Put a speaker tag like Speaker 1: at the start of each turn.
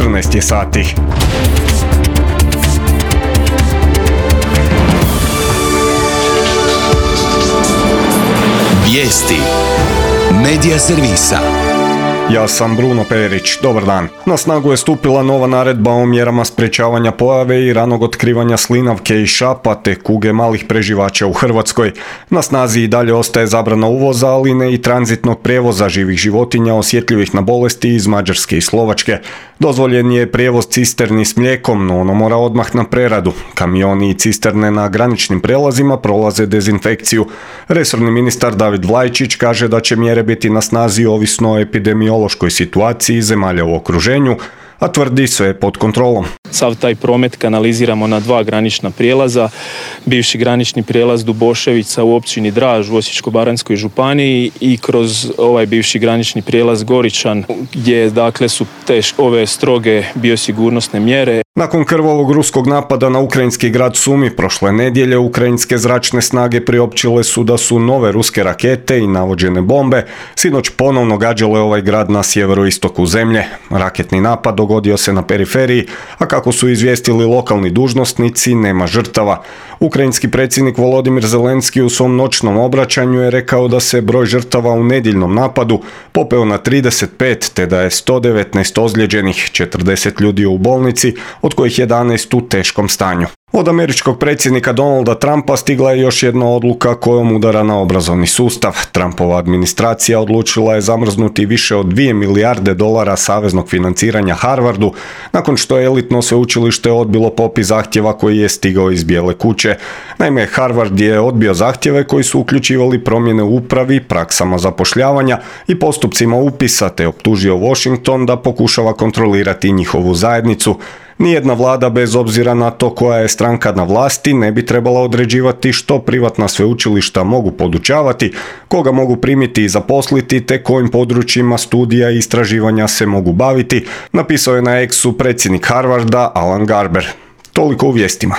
Speaker 1: 14 je sati.
Speaker 2: Vijesti Medija servisa.
Speaker 1: Ja sam Bruno Perić, dobar dan. Na snagu je stupila nova naredba o mjerama sprečavanja pojave i ranog otkrivanja slinavke i šapa te kuge malih preživača u Hrvatskoj. Na snazi i dalje ostaje zabrana uvoza, ali ne i tranzitnog prijevoza živih životinja osjetljivih na bolesti iz Mađarske i Slovačke. Dozvoljen je prijevoz cisterni s mlijekom, no ono mora odmah na preradu. Kamioni i cisterne na graničnim prelazima prolaze dezinfekciju. Resorni ministar David Vlajčić kaže da će mjere biti na snazi ovisno o epidemiološkoj situaciji zemalja u okruženju, a tvrdi sve je pod kontrolom.
Speaker 3: Sav taj promet kanaliziramo na 2 granična prijelaza. Bivši granični prijelaz Duboševica u općini Draž u Osječko-baranjskoj županiji i kroz ovaj bivši granični prijelaz Goričan gdje dakle su ove stroge biosigurnosne mjere.
Speaker 1: Nakon krvavog ruskog napada na ukrajinski grad Sumi prošle nedjelje, ukrajinske zračne snage priopćile su da su nove ruske rakete i navođene bombe sinoć ponovno gađale ovaj grad na sjeveroistoku zemlje. Raketni napad dogodio se na periferiji, a kako su izvijestili lokalni dužnosnici, nema žrtava. Ukrajinski predsjednik Volodimir Zelenski u svom noćnom obraćanju je rekao da se broj žrtava u nedjeljnom napadu popeo na 35, te da je 119 ozlijeđenih, 40 ljudi u bolnici, od kojih 11 u teškom stanju. Od američkog predsjednika Donalda Trumpa stigla je još jedna odluka kojom udara na obrazovni sustav. Trumpova administracija odlučila je zamrznuti više od $2 milijarde saveznog financiranja Harvardu, nakon što je elitno sveučilište odbilo popis zahtjeva koji je stigao iz Bijele kuće. Naime, Harvard je odbio zahtjeve koji su uključivali promjene u upravi, praksama zapošljavanja i postupcima upisa, te optužio Washington da pokušava kontrolirati njihovu zajednicu. Nijedna vlada, bez obzira na to koja je stranka na vlasti, ne bi trebala određivati što privatna sveučilišta mogu podučavati, koga mogu primiti i zaposliti, te kojim područjima studija i istraživanja se mogu baviti, napisao je na X-u predsjednik Harvarda Alan Garber. Toliko u vijestima.